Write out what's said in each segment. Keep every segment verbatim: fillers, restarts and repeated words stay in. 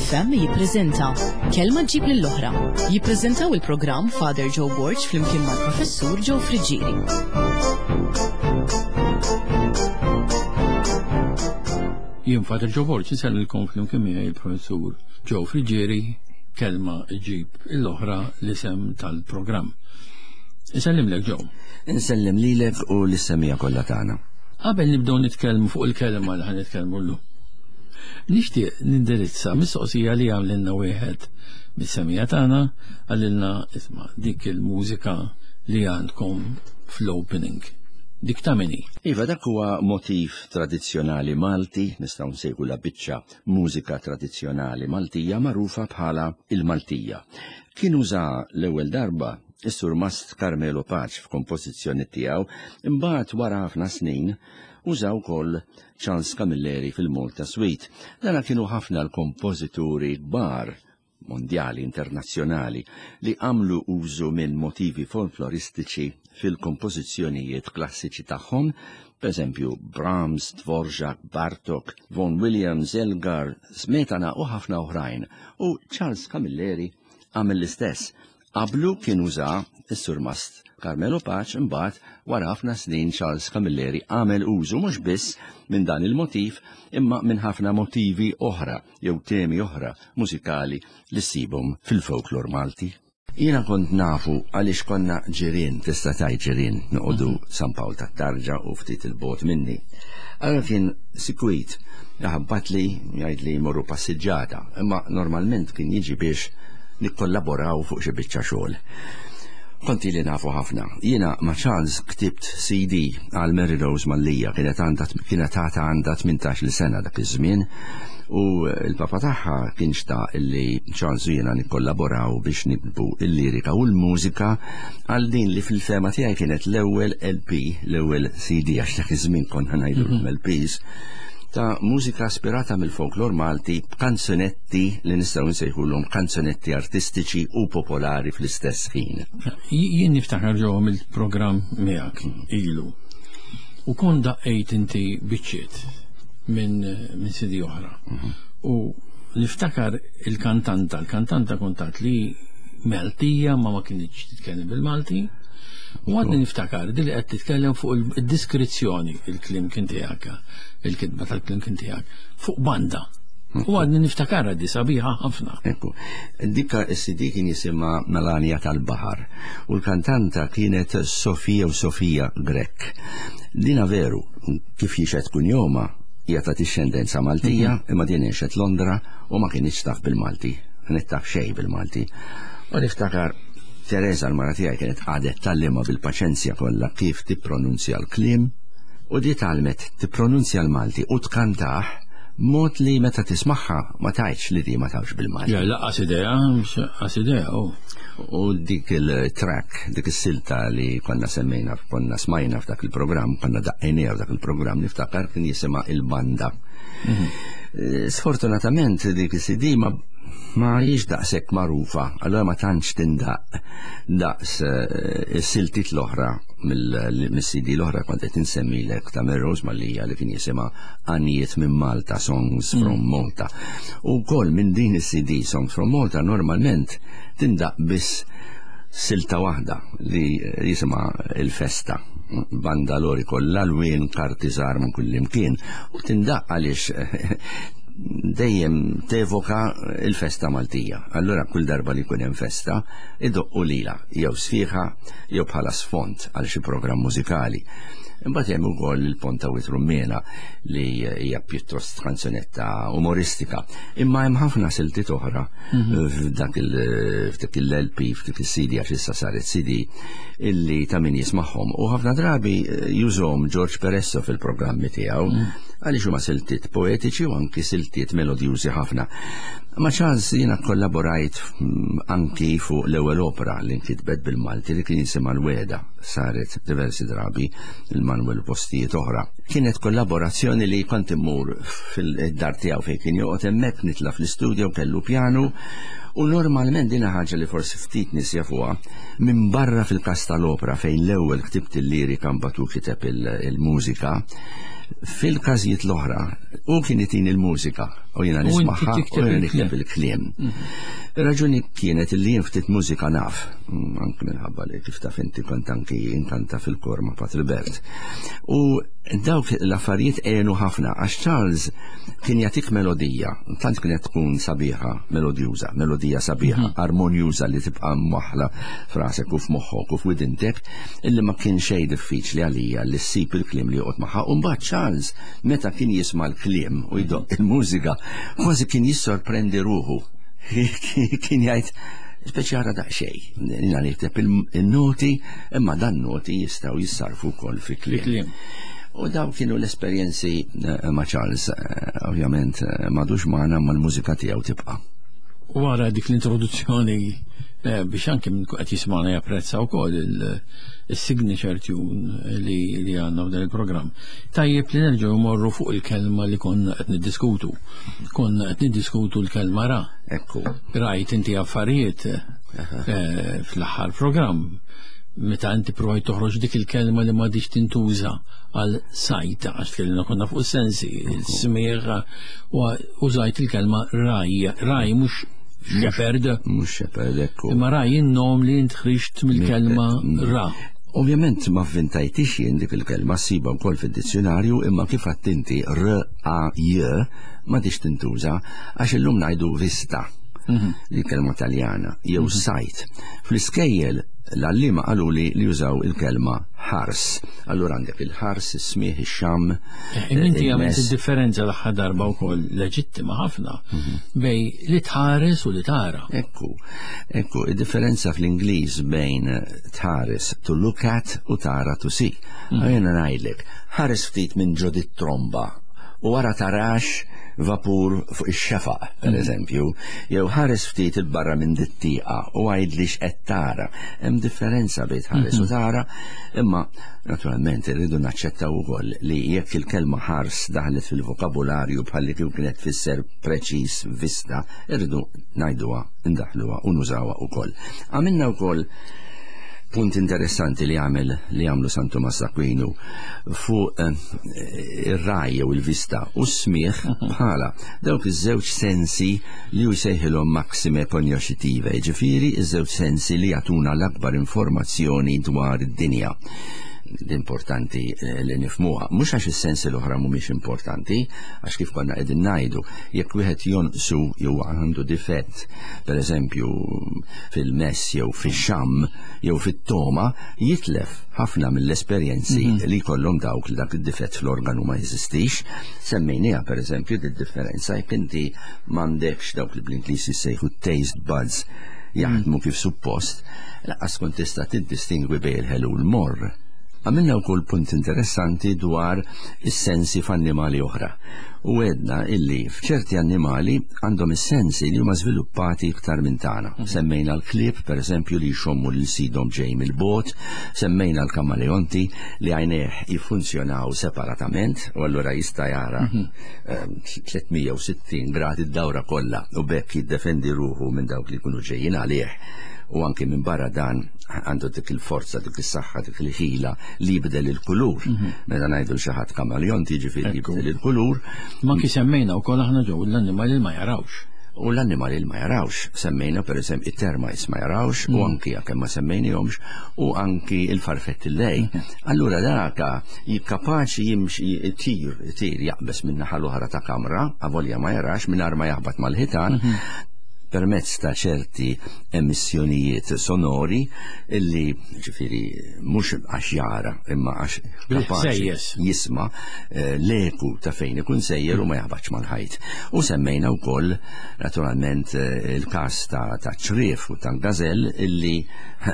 F M jippreżenta Kelma Ġġib lill-Oħra. Jippreżentaw il-programm Father Joe Borg flimkien mal-Professur Joe Friggieri. Jien Father Joe Borg, insellilkom flimkien miegħi il-Professur Joe Friggieri, Kelma Ġġib l-Oħra l-isem tal-programm. Insellimlek, Joe. Insellem lilek u lis-semmiegħa kollha tagħna. Qabel nibdew nitkellmu fuq il-kelma li ħa nitkellmu llum, nixtieq nindirizza mistoqsija li għamlilna wieħed mis-semmiegħa tagħna. Qalilna, "Isma', dik il-mużika li għandkom fl-opening. Dik ta' min hi?" Iva, dak huwa motiv tradizzjonali Malti, nistgħu nsejħu biċċa mużika tradizzjonali Maltija magħrufa bħala il-Maltija. Kien uża l-ewwel darba is-Surmast Carmelo Pace f'kompożizzjoni tiegħu, imbagħad wara ħafna snin użaw ukoll Charles Camilleri fil-Malta Suite. Dana kienu ħafna l-kompożituri kbar mondjali, internazzjonali, li għamlu użu minn motivi folkloristiċi fil-kompożizzjonijiet klassiċi tagħhom, per eżempju Brahms, Dvorak, Bartok, Vaughan Williams, Elgar, Smetana u ħafna oħrajn. U Charles Camilleri għamel l-istess. Qablu kien uża is-Surmast Carmelo Pace, imbagħad wara ħafna snin Charles Camilleri għamel użu mhux biss minn dan il-motiv imma minn ħafna motivi oħra jew temi oħra mużikali li ssibhom fil-folklor Malti. Jiena kont nafu għaliex konna ġirien, tista' tgħid ġirien, noqogħdu San Pawl tat-Tarġa u ftit 'il bogħod minni. Allora kien sikwit jaħabbatli, jgħid li morru passiġġata, imma normalment kien jiġi biex nikkollaboraw fuq xi biċċa xogħol. Kont ili nafu ħafna. Jiena ma' Charles ktibt C D għal Mary Rose Mallia, kienet għandha kienet għadha għandha tmintax-il sena dak iż-żmien u il-papa tagħha kien xtaq illi Charles u jiena nikkollaboraw biex niktbu il-lirika u l-mużika għal din li fil-fehma tiegħi kienet l-ewwel L P, l-ewwel C D, għax dak iż-żmien konna ngħidu L Ps, ta' mużika aspirata mill-folklor Malti b'kanzunetti li nistgħu nsejħulhom kanzunetti artistiċi u popolari fl-istess ħin. Jien niftakar ġo mill-programm miegħek ilu. U kon daqqejt inti biċċiet minn min C D oħra. U niftakar il-kantanta, il-kantanta kontat li Maltija ma ma kinitx titkellem bil-Malti. U għadni niftakar dili qed titkellem fuq il-diskrizzjoni, il-kliem kien tiegħek, il-kitba tal-kliem kien tiegħek, fuq banda. U għadni niftakar di sabiħa ħafna. Ekku, dikka S C D kien jisimha Melania tal-Baħar u l-kantanta kienet Sofija u Sofija Grek. Dina veru, kif jixhed kunjomha, hija ta' dixxendenza Maltija, imma din għexet Londra u ma kienx taf bil-Malti, kienet taf xejn bil-Malti. U niftakar Teresa, l-mara tiegħi, kienet għadet tgħallimha bil-paċenzja kollha kif tippronunzja l-kliem u di tgħallmet tippronunzja l-Malti u tkantah mod li meta tismagħha ma tgħidx li di ma tafx bil-Malti. Ja, lanqas idea, lanqas idea, oh. U dik il-track, dik is-silta li konna semmejna, konna smajna f'dak il-programm, konna daqqejniha f'dak il-programm, niftakar kien jisimha il-Banda. Eh, Sfortunatament dik is-C D ma ma hijiex daqshekk magħrufa, allora ma tantx tindaq daqs eh, is-siltiet l-oħra mill-C D l-oħra kont qed insemmilek ta' Rose Mallia li kien jisimha Għanjiet minn Malta, Songs from Malta. U wkoll minn din is-C D Songs from Malta normalment tindaq biss silta waħda li jisimha il-Festa, banda lori kollha lwien, karti żgħar minn kull imkien, u tindaq għaliex dejjem tevoka il-festa Maltija. Allura kull darba li jkun hemm festa, idoqqu lila, jew sfiħa, jew bħala sfond għal xi programm mużikali. Imbagħad hemm ukoll il-Ponta Wied Rummiena li hija pjuttost kanzunetta umoristika. Imma hemm ħafna siltiet oħra f'dak il- f'dik il-L P, f'dik il-C D, għax issa saret C D, illi ta' min jismagħhom. U ħafna drabi eh, jużahom George Peresso fil-programmi tiegħu għaliex huma siltiet poetiċi u anki siltiet melodjużi ħafna. Ma' Charles jiena kollaborajt mm, anki fuq l-ewwel opera li nkitbet bil-Malti li kien jisimha l-Weda. saret diversi drabi il-Manuel postijiet oħra. Kienet kollaborazzjoni li kont immur fil-dar tiegħu fejn kien joqgħod hemmhekk, nitla' fl-istudio, kellu pjanu, u normalment din ħaġa li forsi ftit nies jafuha, minn barra fil-każ tal-opera fejn l-ewwel ktibt il-lirika mbagħad hu kiteb il-mużika, fil-każijiet l-oħra u kien itini il-mużika u jiena U inti nismagħha u tikteb jiena il-kliem. nikteb il-kliem. Raġuni kienet li jien ftit mużika naf, mm, anki minħabba li kif taf inti kont anki inkanta fil-kor ma' Patri Bert. U dawk l-affarijiet għenu ħafna, għax Charles kien jagħtik melodija, tant kienet tkun sabiħa, melodjuża, melodija sabiħa, armonjuża li tibqa' mwaħla f'rasek u f'moħħok u f'widintek, illi ma kien xejn diffiċli għalija li ssib il-kliem li joqgħod magħha. U mbagħad Charles meta kien jisma' l-kliem u jdoqq il-mużika, kważi kien jissorprendi ruħu. Kien jgħid, speċi għara daqsxejn, jiena nikteb il-noti, imma dan noti jistgħu jissarfu wkoll fi kliem. Kliem. U daw kienu l-esperjenzi eh, ma' Charles, eh, ovvjament eh, m'għadux magħna, ma l-mużika tiegħu tibqa'. Wara dik l-introduzzjoni eh, biex anke minn qed jismagħna japprezza wkoll il-signature tune li li għandna f'dan il-programm. Tajjeb li nerġgħu morru fuq il-kelma li konna qed niddiskutu. Konna qed niddiskutu l-kelma ra. Ekku. Rajt inti affarijiet eh, fl-aħħar programm meta inti provajt toħroġ dik il-kelma li m'għadix tintuża għal sajta, għax tkellimna konna fuq sensi, il-smigħ, u użajt il-kelma raj, raj mhux shepherd, Mhux shepherd, ekku. imma raj in-nom li int ħriġt mill-kelma ra. Ovvjament ma vvintajtix jien dik il-kelma, ssiba wkoll fid-dizzjonarju, imma kif għedt inti R A J m'għadix tintuża, għax illum ngħidu vista, li kelma Taljana, jew sight. Fl-iskejjel l-għalliema qalu li li jużaw il-kelma ħars. Allura għandek il-ħars, is-smigħ, ix-xamm. Imma inti għamilt il-mess. id-differenza l-aħħar darba wkoll leġittima ħafna bejn li tħares u li tara. Ekku, ekku, id-differenza fl-Ingliż bejn tħares to look at u tara to see. Jiena ngħidlek, ħares ftit minn ġo dit-tromba u wara tarax vapur fuq ix-xefaq, per eżempju, jew ħares ftit il-barra minn dit-tieqa u għidli x'qed tara. Hemm differenza bejn tħares u tara, imma naturalment irridu naċċettaw ukoll li jekk il-kelma ħars daħlet fil-vokabularju bħalli kieku kienet tfisser preċiż vista, irridu ngħiduha, indaħluha u nużawha ukoll. Għamilna wkoll punt interessanti li għamel li għamlu San Tomas Aquinu fuq eh, ir-raj jew il-vista u s-smigħ bħala dawk iż-żewġ sensi li hu jsejħilhom maxime cognoscitive, ġifieri iż-żewġ sensi li jagħtuna l-akbar informazzjoni dwar id-dinja. L-importanti eh, li nifhmuha, mhux għax is-sensi l-oħra mhumiex importanti, għax kif konna qegħdin ngħidu, jekk wieħed jonqsu jew għandu difett, per eżempju fil-mess jew fix-xamm jew fit-toma, jitlef ħafna mill-esperjenzi li jkollhom dawk li dak id-difett fl-organu ma jeżistix. Semmejniha per eżempju di differenza jekk inti m'għandekx dawk li bl-Ingliż jissejħu taste buds jaħdmu kif suppost, lanqas kont tista' tiddistingwi bejn il-ħelu u l-morr. Għamilna wkoll punt interessanti dwar is-sensi f'annimali oħra. U għedna illi f'ċerti annimali għandhom is-sensi li huma żviluppati iktar minn tagħna. Semmejna l-klieb, per eżempju, li jxommu lil sidhom ġej mill-bogħod, semmejna l-kamaleonti li għajnejh jiffunzjonaw separatament u allura jista' jara eh, tliet mija u sittin grad id-dawra kollha u b'hekk jiddefendi ruħu minn dawk li jkunu ġejjin għalih, u anki minn barra dan għandu dik il-forza, dik is-saħħa, dik il-ħila li jibdel il-kulur. Meta ngħidu xi ħadd kamaleont, jiġifieri jibdel il-kulur. Ma kif semmejna wkoll aħna ġew l-annimali li ma jarawx. U l-annimali li ma jarawx, semmejna per eżempju it-termites ma jarawx u anki kemm ma semmejnihomx u anki il-farfetti lej. Allura daka jikkapaċi jimxi tir, tir jaqbes minn naħa l-oħra ta' kamra, avolja ma jarax, mingħajr ma jaħbat mal-ħitan, permezz ta' ċerti emissjonijiet sonori illi ġifieri mhux għax jara imma għax kapaċi Bil-ħsejjes. jisma eh, l-eku ta' fejn ikun sejjer u ma jaħbatx mal-ħajt. U semmejna wkoll naturalment eh, il-każ ta' ta' ċriev u ta' gazel illi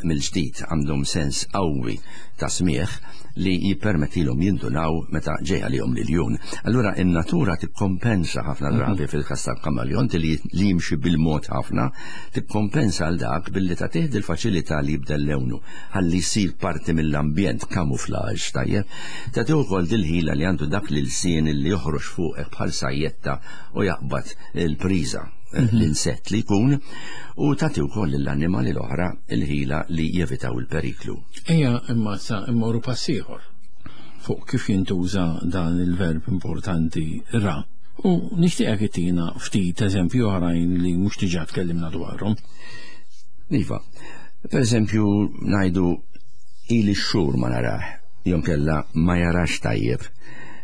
mill-ġdid għandhom sens qawwi ta' smigħ li jippermettilhom jindunaw meta ġej għalihom l-iljun. Allura in-natura tikkompensa ħafna drabi fil-każ tal-kamaleonti li li jimxi bil-mod ħafna, tikkompensa għal dak billi tagħtih il-faċilità li jibdel lewnu ħalli jsir parti mill-ambjent, camouflage, tajjeb. Tagħtih ukoll dil-ħila li għandu dak l-ilsien li joħroġ fuqek bħal sajjetta u jaqbad il-priża, l-insett li jkun, u tagħti wkoll lill-annimali l-oħra il-ħila li jevitaw il-periklu. Ejja imma sa immorru pass ieħor fuq kif jintuża dan il-verb importanti ra. U nixtieqek ittina ftit eżempju oħrajn li mhux diġà tkellimna dwarhom. Iva, per eżempju ngħidu ili xhur ma narah, jew kella ma jarax tajjeb.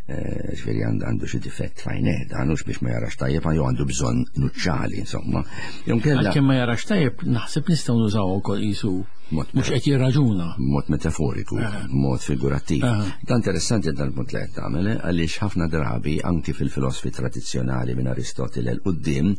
Ġifieri għandu xi difett f'għajnejh, dan hux biex ma jarax tajjeb, jew għandu bżonn nuċċali, insomma. Jew kella Għalkemm ma jarax tajjeb, naħseb nistgħu nużaw ukoll qisu mhux qed jirraġuna. Mod metaforiku, mod figurattiv. Dan interessanti dan il-punt li qed tagħmel, għaliex ħafna drabi anki fil-filosofi tradizzjonali minn Aristotele 'l quddiem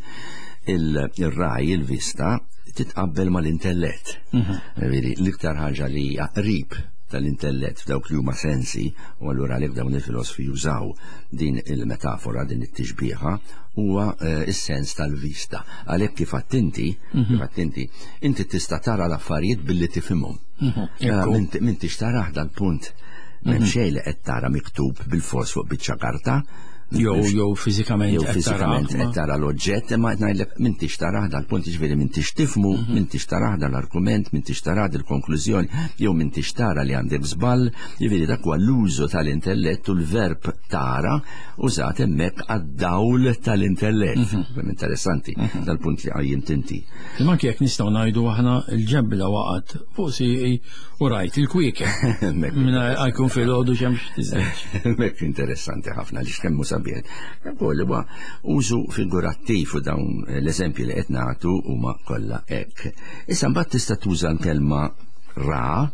il-raj, il-vista, titqabbel mal-intellett. Ġifieri l-iktar ħaġa li hija qrib tal-intellett f'dawk li huma sensi, u allura għalhekk dawn il-filosofi jużaw din il-metafora, din it-tixbieħa, huwa is-sens tal-vista. Għalhekk kif attenti, kif attenti, inti tista' tara l-affarijiet billi tifhimhom. M'intix tarah dal-punt, m'hemm xejn li qed tara miktub bil-fors fuq biċċa karta. Jew jew fiżikament jew fiżikament qed tara l-oġġett, imma qed ngħidlek m'intix tarah dal-punt, jiġifieri m'intix tifhmu, m'intix tarah dal-argument, m'intix tarah dil-konklużjoni, jew m'intix tara li għandek żball, jiġifieri dak huwa l-użu tal-intellett u l-verb tara użat hemmhekk għad-dawl tal-intellett. Interessanti dal-punt li qajjimt inti. Imma anke jekk nistgħu ngħidu aħna l-ġebla waqgħet fuq sieqi u rajt il-kwiekeb. Mingħajr għajkun filgħodu xemx tiżgħeġ. Hemmhekk interessanti ħafna li x'kemm hu sabiħ. Ukoll huwa użu figurattiv u dawn l-eżempji li qed nagħtu huma kollha hekk. Issa mbagħad tista' tuża l-kelma ra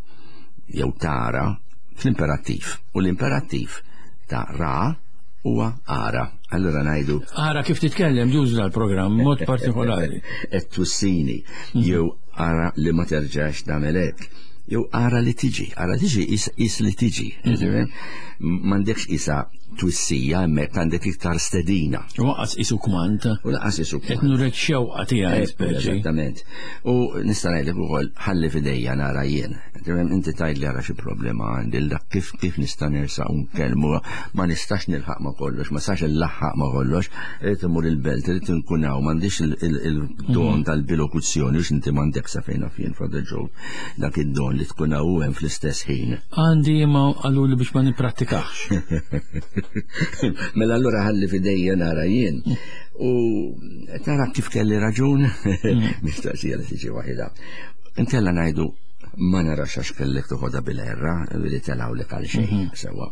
jew tara fl-imperattiv, u l-imperattiv ta' ra huwa ara. Allura ngħidu ara kif titkellem juża l-programm mod partikolari. Qed tussini jew ara li ma terġax tagħmel hekk. Jew ara li tiġi, ara tiġi is, is li tiġi. M'għandekx isa twissija hemmhekk, għandek iktar stedina. U laqas isu kmand. U laqas isu kmand. Qed nurek xewqa tiegħi Eh, speċi. Eżattament. U nista' ngħidlek ukoll ħalli f'idejja nara jien. Inti tgħidli ara xi problema għandi, dak kif, kif nista' nersaq u nkellmu, ma nistax nilħaq ma' kollox, ma nistax nlaħħaq ma' kollox, irid imur il-belt, irid inkun hawn, m'għandix il-don tal-bilokuzzjoni, għax inti m'għandek sa fejn naf jien, Father Joe, dak id-don li tkun hawn hemm fl-istess ħin. Għandi ma qalu li biex ma nipprattikax. Mela allura ħalli f'idejja nara jien. U tara kif kelli raġun, mistoqsija li tiġi waħida. Inkella ngħidu ma narax għax kellek toħodha bil-erra, li telgħu għal xejn, sewwa.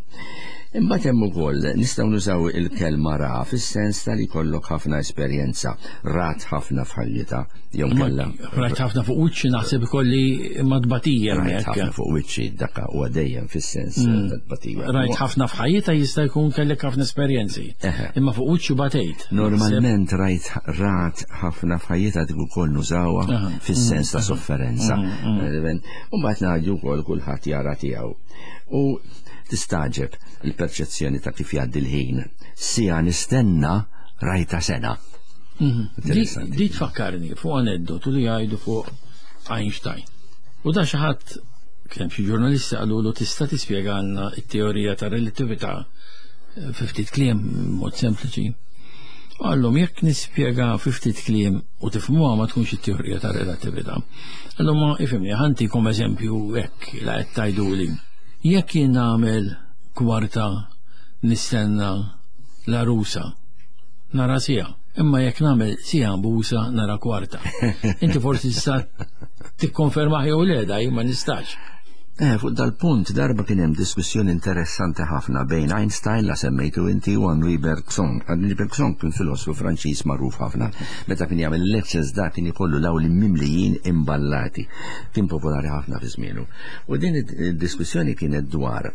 Imbagħad hemm ukoll nistgħu nużaw il-kelma ra fis-sens tal jkollok ħafna esperjenza, rat ħafna f'ħajjitha, jew kellha. Rajt ħafna fuq wiċċi naħseb ikolli ma tbatija Rajt hemmhekk. ħafna fuq wiċċi dakka huwa dejjem fis-sens ta' tbatija. Rajt ħafna f'ħajjitha jista' jkun kellek ħafna esperjenzi. Imma fuq wiċċi batejt. Normalment rajt rat ħafna f'ħajjitha dik ukoll nużawha fis-sens ta' sofferenza. U mbagħad ngħidu wkoll kulħadd jara tiegħu. U tistaġeb il-perċezzjoni ta' kif jgħaddi l-ħin. Sija nistenna rajta sena. Di di tfakkarni fuq aneddotu li jgħidu fuq Einstein. U da xi ħadd kien xi ġurnalisti qalulu tista' tispjegalna t-teorija ta' relatività fi ftit kliem mod sempliċi. Għallhom jekk nispjega fi ftit kliem u tifhmuha ma tkunx it-teorija ta' relatività. Għallhom ma ifhimni ħantikom eżempju hekk la qed tgħiduli. Jekk jien nagħmel kwarta nistenna la rusa, nara sija. Imma jekk nagħmel sija mbusa nara kwarta. Inti forsi tista' tikkonferma jew le daj ma nistax. Eh, fuq dal-punt darba kien hemm diskussjoni interessanti ħafna bejn Einstein la semmejtu inti u Henri Bergson. Henri Bergson kien filosfu Franċiż magħruf ħafna. Meta kien jagħmel lectures da kien ikollu l-awli mimlijin imballati. Kien popolari ħafna fi żmienu. U din id-diskussjoni kienet dwar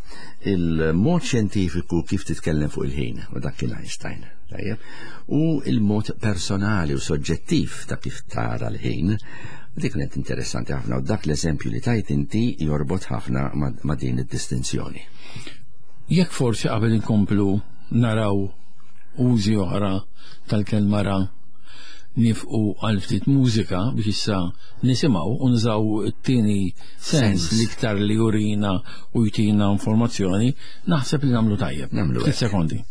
il-mod xjentifiku kif titkellem fuq il-ħin, u dak kien Einstein. Tajjeb. U il-mod personali u soġġettiv ta' kif tara l-ħin. Dik kienet interessanti ħafna u dak l-eżempju li tajt inti jorbot ħafna ma', ma' din id-distinzjoni. Jekk forsi qabel inkomplu naraw użi oħra tal-kelma ra, nifqu għal ftit mużika biex issa nisimgħu u nużaw it-tieni sens l-iktar li jurina u jtina informazzjoni, naħseb li nagħmlu tajjeb. Nagħmlu Ftit sekondi.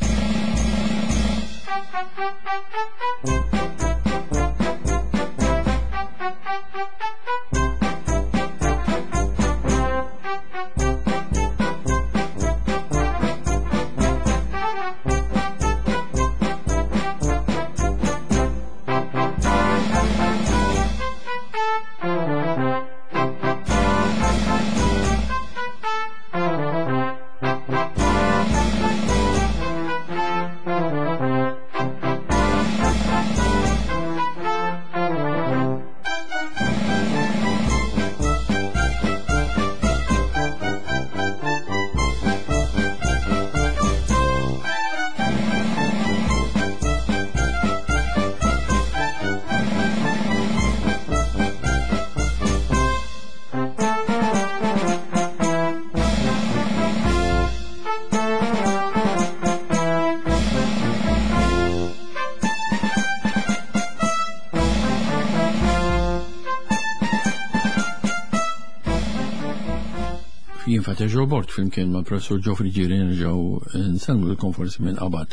Jien Father Joe Borg flimkien ma' Professur Joe Friggieri nerġgħu nsellmu forsi minn qabad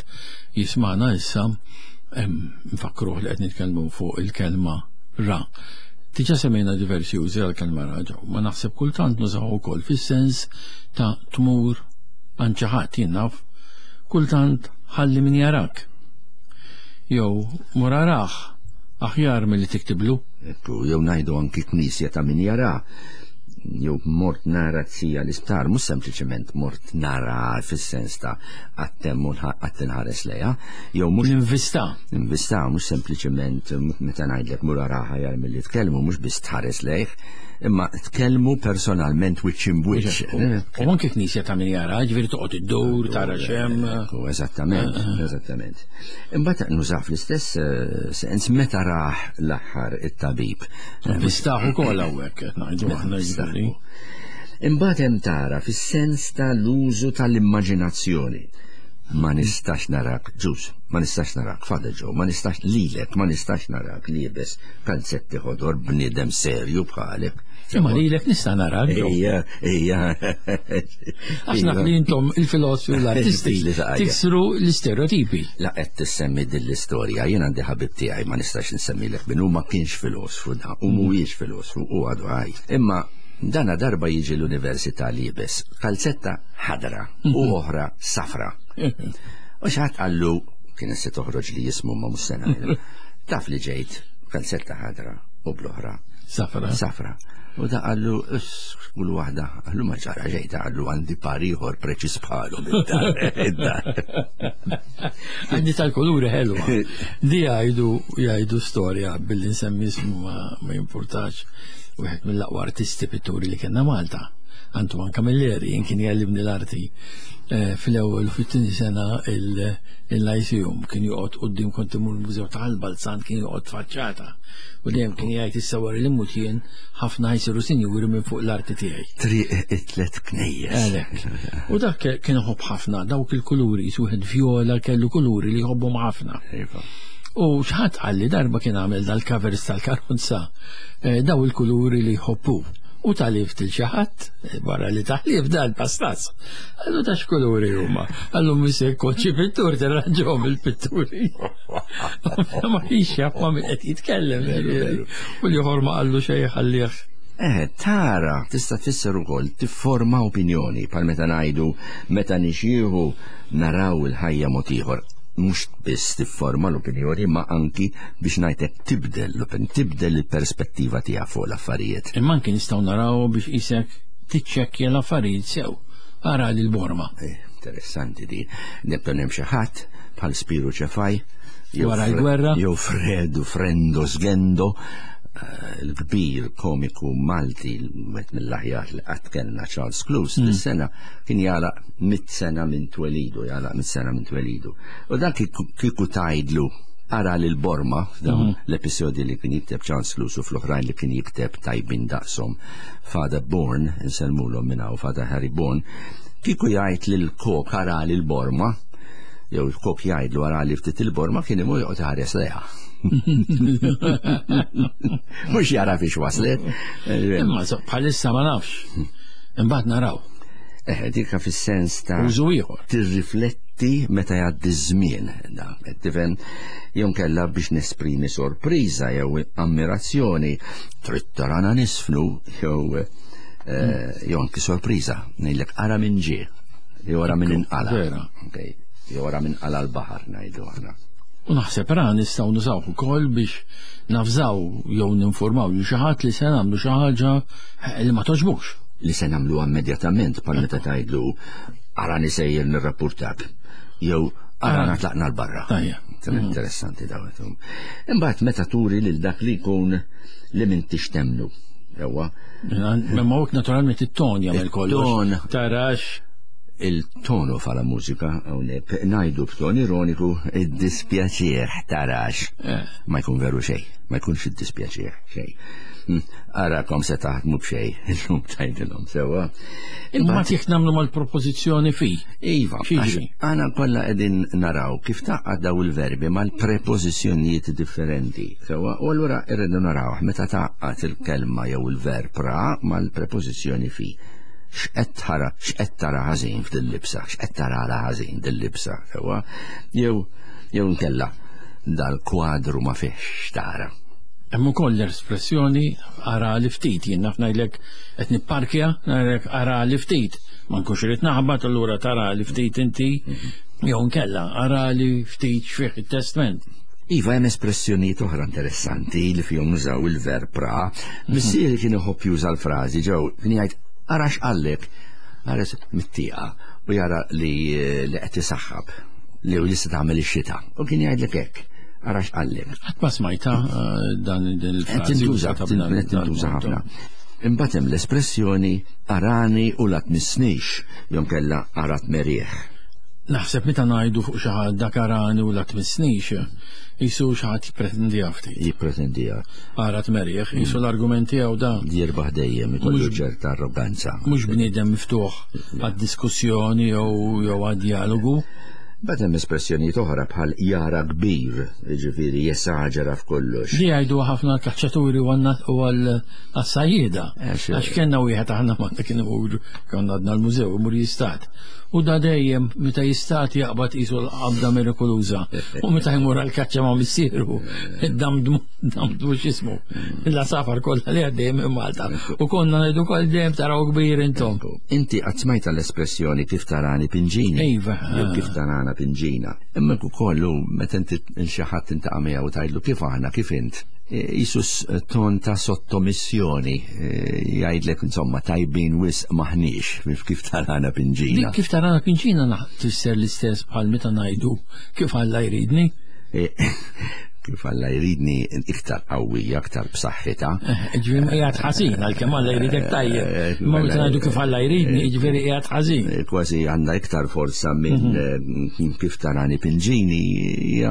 jismana issa, nfakruh li qed nitkellmu fuq il-kelma ra. Diġà semmejna diversi użi għall-kelma ra ġew, ma naħseb kultant nużaw ukoll fis-sens ta' tmur għand xi ħadd, jien naf, kultant ħalli min jarak. Jew mur arah aħjar milli tiktiblu. Ekku, jew ngħidu anki knisja ta' min jara. Jew mort nara t-sija l-isptar, mhux sempliċement mort nara fis-sens ta' għattem u għatt inħares lejha, jew mhux Ninvista. Ninvista, mhux sempliċement meta ngħidlek mur araha jar milli tkellmu, mhux biss tħares lejh, imma tkellmu personalment wiċċ imbwiċċ. U anke knisja ta' min jara, ġifieri toqgħod iddur, tara x'hemm. Ekku, eżattament, eżattament. Imbagħad nużah fl-istess, eh, sens meta raħ l-aħħar it-tabib. Nvistaħ ukoll hawnhekk qed ngħidu aħna ġifieri. Imbagħad hemm tara fis-sens tal-użu tal-immaġinazzjoni. Ma nistax narak ġus, ma nistax narak Father Joe, ma nistax lilek, ma nistax narak liebes kalzetti ħodor bniedem serju bħalek. Imma lilek nista' narak, Joe. Ejja, ejja. Għax naf li intom il-filosofi u l-artisti Li taqajja. tiksru l-istereotipi. La qed tissemmi din l-istorja, jien għandi ħabib tiegħi ma nistax insemmilek minnu, ma kienx filosfu da, u mhuwiex filosfu u għadu ħaj. Imma dana darba jiġi l-università liebes kalzetta ħadra u oħra safra. U xi ħadd qallu, kien se toħroġ li jismu ma mhux se ngħidu, taf li ġejt kalzetta ħadra u bl-oħra Safra. Safra. U da qallu, is, kull waħda, qallu ma ġara ġejta, qallu għandi par ieħor preċiż bħalu mid-dar, id-dar. Għandi tal-kuluri ħelwa. Di jgħidu, jgħidu storja billi nsemmi ismu ma, ma jimpurtax. Wieħed mill-aqwa artisti pitturi li kellna Malta, Antoine Camilleri, jien kien jgħallimni l-arti, eh, fl-ewwel u fit-tieni sena il-, il-Lyceum, kien joqgħod quddiem kont imur il-Mużew tal-Balzan, kien joqgħod faċċata. U dejjem kien jgħid issa wara li mmut jien ħafna ħajsiru sinjuri minn fuq l-arti tiegħi. Triq it-tlet knejjes. Għalhekk. U dak kien iħobb ħafna dawk il-kuluri, wieħed vjola kellu kuluri li jħobbhom ħafna. Iva. U x'ħadd qal li darba kien għamel dal-covers tal-karozza, eh, daw il-kuluri li jħobbu. U talif til xi ħadd, eh, wara li taħlif dal-pastaz. Għallu ta' x'kuluri huma. Għallu misek koċċi pittur tirranġhom il-pitturi. Ma kienx jaf ma min qed jitkellem, Veru, veru. U l-ieħor ma qallu xejn ħallih. Eh, tara, tista' tfisser ukoll tifforma opinjoni, bħal meta ngħidu meta nixieħu naraw il-ħajja mod ieħor. Mhux biss tifforma l-opinjoni, ma anki biex ngħidlek tibdel l-opinjoni, tibdel il-perspettiva tiegħek fuq l-affarijiet. Imma anki nistgħu naraw biex isek tiċċekkja l-affarijiet sew. Ara lil Borma. Eh, interessanti di. Nibda hemm xi ħadd bħal Spiru Ċefaj, jew Wara Fre- l-gwerra. jew Fredu Frendo Sgendo, eh, il-kbir komiku Malti, wieħed mill-aħjar li qatt kellna Charles Close, Mm. dis-sena kien jagħlaq mitt sena minn twelidu, jagħlaq mitt sena minn twelidu. U dak kieku, kieku tgħidlu ara lil Borma f'dawn Mm-hmm. l-episodji li kien jikteb Charles Close u fl-oħrajn li kien jikteb tajbin daqshom Father Bourne, insellmulhom minn hawn Father Harry Bourne, kieku jgħid lil kok ara lil Borma, Jew il-kok jgħidlu ara li ftit il-borma kien imur joqgħod iħares lejha. Mhux jara fiex waslet. Imma bħalissa ma nafx. Imbagħad naraw. Eh, dika fis-sens ta' użu ieħor. Tirrifletti meta jgħaddi ż-żmien. Tifhem, jew kella biex nesprimi sorpriża jew ammirazzjoni, trid tarana nisfnu jew jew anki sorpriża, ngħidlek ara minn ġie, jew ara minn inqala. Vera. Jew ara minn qala l-baħar ngħidu aħna. U naħseb ra nistgħu nużaw ukoll biex nafżaw jew ninformaw li xi ħadd li se nagħmlu xi ħaġa li ma toġbux. Li se nagħmluha immedjatament bħal meta tgħidlu ara nisejjer nirrappurtak jew ara natlaqna l-barra. Interessanti dawn. Imbagħad meta turi lil dak li jkun li m'intix temnu. Ewa. Ma hekk naturalment it-ton jagħmel kollox. Tarax il-tono fala mużika hawnhekk ngħidu b'ton ironiku id-dispjaċir tarax. Ma jkun veru xejn, ma jkunx id-dispjaċir xejn. Arakom se taħdmu b'xejn, illum tgħidilhom sewwa. Imbagħad jekk nagħmlu mal-propożizzjoni fi. Iva, aħna kollha qegħdin naraw kif taqgħad daw il-verbi mal-prepożizzjonijiet differenti. Sewwa, u allura irridu naraw meta taqgħad il-kelma jew il-verb ra mal-prepożizzjoni fi. X'qed tara, x'qed tara ħażin f'dil-libsa, x'qed tara għala ħażin dil-libsa, sewwa, jew jew nkella dal-kwadru ma fihx tara. Hemm ukoll l-espressjoni ara li ftit, jien naf ngħidlek qed nipparkja, ngħidlek ara li ftit, ma nkunx irid naħbat allura tara li ftit inti, jew nkella ara li ftit x'fih it-testment. Iva, hemm espressjonijiet oħra interessanti li fihom nużaw il-verb ra. Missieri kien iħobb juża l-frażi ġew kien jgħid ara x'qallek, ħares mit-tieqa u jara li li qed isaħħab li u jista' tagħmel ix-xita. U kien jgħidlek hekk, ara x'qallek. Qatt ma smajta dan din il-frażi. Tintuża, tintuża ħafna. Imbagħad hemm l-espressjoni arani u la tmissnix, jew kellha ara tmerieħ. Naħseb meta ngħidu fuq xi ħadd dak arani u la tmissnix, jisu xi ħadd jippretendiha ftit. Jippretendiha. Ara tmerieħ, jisu l-argument tiegħu da. Jirbaħ dejjem, ikollu ċerta arroganza. Mhux bniedem miftuħ għad-diskussjoni jew jew għad-dialogu. Bad hemm espressjonijiet oħra bħal jara kbir, jiġifieri jesaġera f'kollox. Li jgħidu ħafna l-kaċċaturi u għall-sajjieda. Għax kellna wieħed aħna ma kien imur konna għadna l-mużew imur jistat. U da dejjem meta jistat jaqbad qisu l-qabda mirikoluża. U meta jmur għall-kaċċa ma' missieru, damdmu damdmu x'ismu. La safar kollha li għaddejjem minn Malta. U konna ngħidu wkoll dejjem taraw kbir intom. Inti qatt smajta l-espressjoni kif tarani pinġini. Iva. Jew kif tarana pinġina. Imma ukoll meta inti xi ħadd intaqa' miegħu tgħidlu kif aħna, kif int. Jisus ton ta' sottomissjoni, jgħidlek insomma tajbin wisq maħniex kif tarana pinġina. Kif tarana pinġina tfisser l-istess bħal meta ngħidu kif Alla jridni. Kif Alla jridni iktar qawwija, aktar b'saħħitha. Ġifieri qiegħed ħażin għalkemm Alla jridek tajjeb. Ma meta ngħidu kif Alla jridni, jiġifieri qiegħed ħażin. Kważi għandha iktar forza minn kif tarani pinġini, hija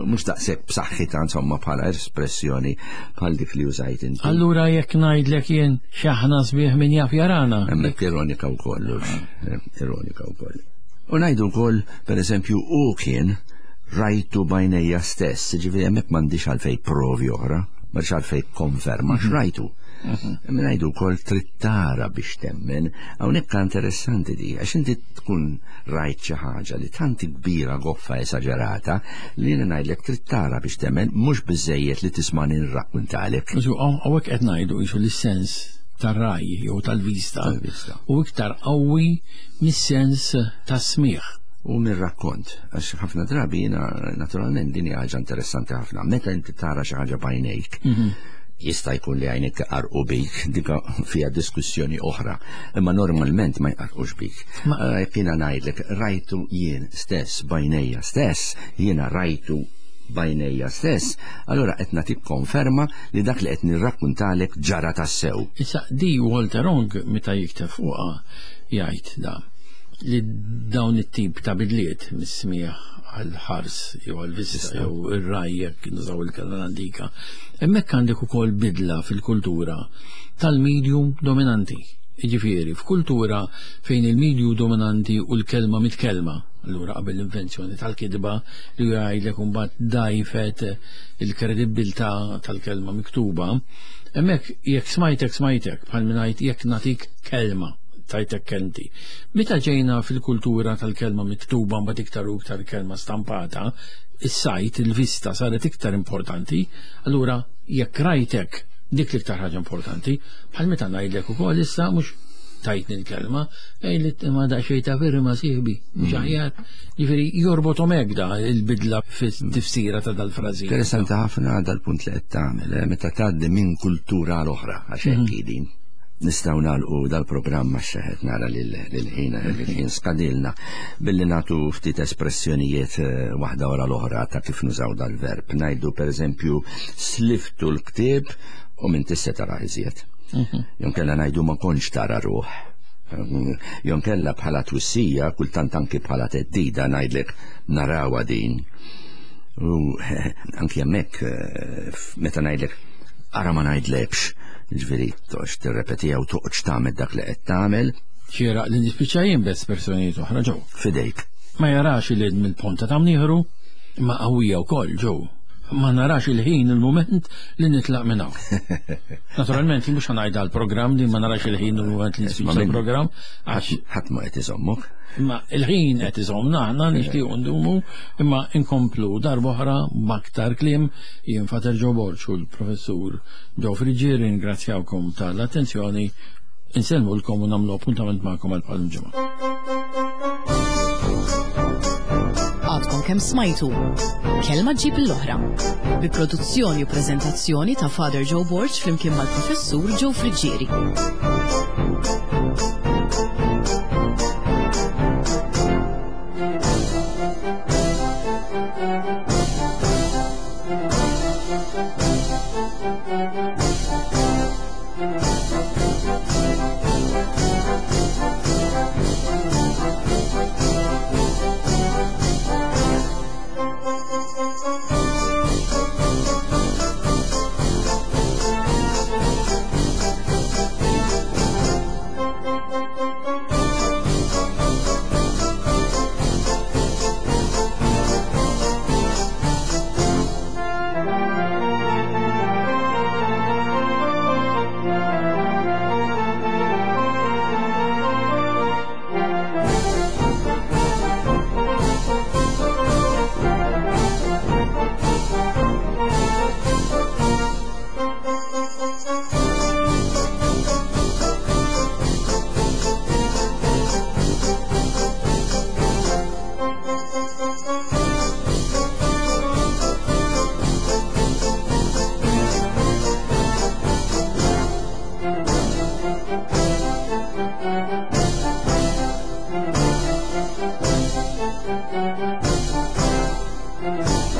mhux daqshekk b'saħħitha insomma bħala espressjoni bħal dik li użajt inti. Allura jekk ngħidlek jien x'aħna sbieħ min jaf jarana. Hemmhekk ironika wkoll, ironika wkoll. U ngħidu wkoll pereżempju u kien rajtu bajnejja stess, ġifieri hemmhekk m'għandix għalfejn provi oħra, m'għandix għalfejn konferma x'rajtu. Imma ngħidu wkoll trid tara biex temmen, hawnhekk interessanti di, għax inti tkun rajt xi ħaġa li tant kbira goffa esaġerata li jiena ngħidlek trid tara biex temmen, mhux biżejjed li tisma' nirrakkuntalek. Hawnhekk qed ngħidu qisu l-sens tar-raj jew tal-vista u iktar qawwi mis-sens tas-smigħ. U mir-rakkont, għax ħafna drabi jiena naturalment din hija ħaġa interessanti ħafna. Meta inti tara xi ħaġa b'għajnejk, jista' jkun li għajnejk iqarqu bik, dika fiha diskussjoni oħra, imma normalment ma jqarqux bik. Jekk jiena ngħidlek rajtu jien stess b'għajnejja stess, jiena rajtu b'għajnejja stess, allura qed nagħtik konferma li dak li qed nirrakkuntalek ġara tassew. Issa di Walter Ong meta jikteb fuqha jgħid da li dawn it-tip ta' bidliet mis-smieħ għal-ħars jew għal-vista jew ir-raj jekk nużaw il-kelma l-antika, hemmhekk għandek ukoll bidla fil-kultura tal-medium dominanti. Jiġifieri, f'kultura fejn il-medju dominanti u l-kelma mitkelma, allura qabel l-invenzjoni tal-kitba li jgħidlek imbagħad dajfet il-kredibbiltà tal-kelma miktuba, hemmhekk jekk smajtek smajtek, bħal min ngħid jekk nagħtik kelma, tajtek kelmti. Meta ġejna fil-kultura tal-kelma miktuba mbagħad iktar u iktar kelma stampata, is-sajt, il-vista saret iktar importanti, allura jekk rajtek dik l-iktar ħaġa importanti, bħal meta ngħidlek ukoll issa mhux tajtni l-kelma, ej li ma daqsxejn ta' firma sieħbi, mhux aħjar. Jiġifieri jorbothom hekk da il-bidla fit-tifsira ta' dal-frażi. Interessanti ħafna dal-punt li qed tagħmel, eh, meta tgħaddi minn kultura għal oħra, għax hekk hi din. Nistgħu nagħlqu dal-programm għax qed nara lil ħin skadilna billi nagħtu ftit espressjonijiet waħda wara l-oħra ta' kif nużaw dal-verb. Ngħidu pereżempju sliftu l-ktieb u minn tista' tara iżjed. Jonkella ngħidu ma kontx tara ruħ. Jonkella bħala twissija, kultant anki bħala teddida ngħidlek narawha din. U anki hemmhekk meta ngħidlek ara ma ngħidlekx, ġifieri toqgħodx tirrepetiha u toqgħodx tagħmel dak li qed tagħmel. Xieraq li nispiċċa jien b'espressjonijiet oħra ġew. Fidejk. Ma jarax il-id mill-ponta ta' mnieħru, imma qawwija wkoll ġew. Ma narax il-ħin il-mument li nitlaq minn hawn. Naturalment, mhux ħa ngħid għall-programm li ma narax il-ħin il-mument li nispiċċa l-programm, għax ħadd ma qed iżommok. Imma il-ħin qed iżommna aħna nixtiequ ndumu, imma inkomplu darb'oħra b'aktar kliem. Jien Father Joe Borg u l-Professur Joe Friggieri ringrazzjawkom tal-attenzjoni, insellmulkom u nagħmlu appuntament magħkom għal bħal ġimgħa. Għadkom kemm smajtu Kelma ġġib l-oħra bi produzzjoni u preżentazzjoni ta' Father Joe Borg flimkien mal-Professur Joe Friggieri. Thank you.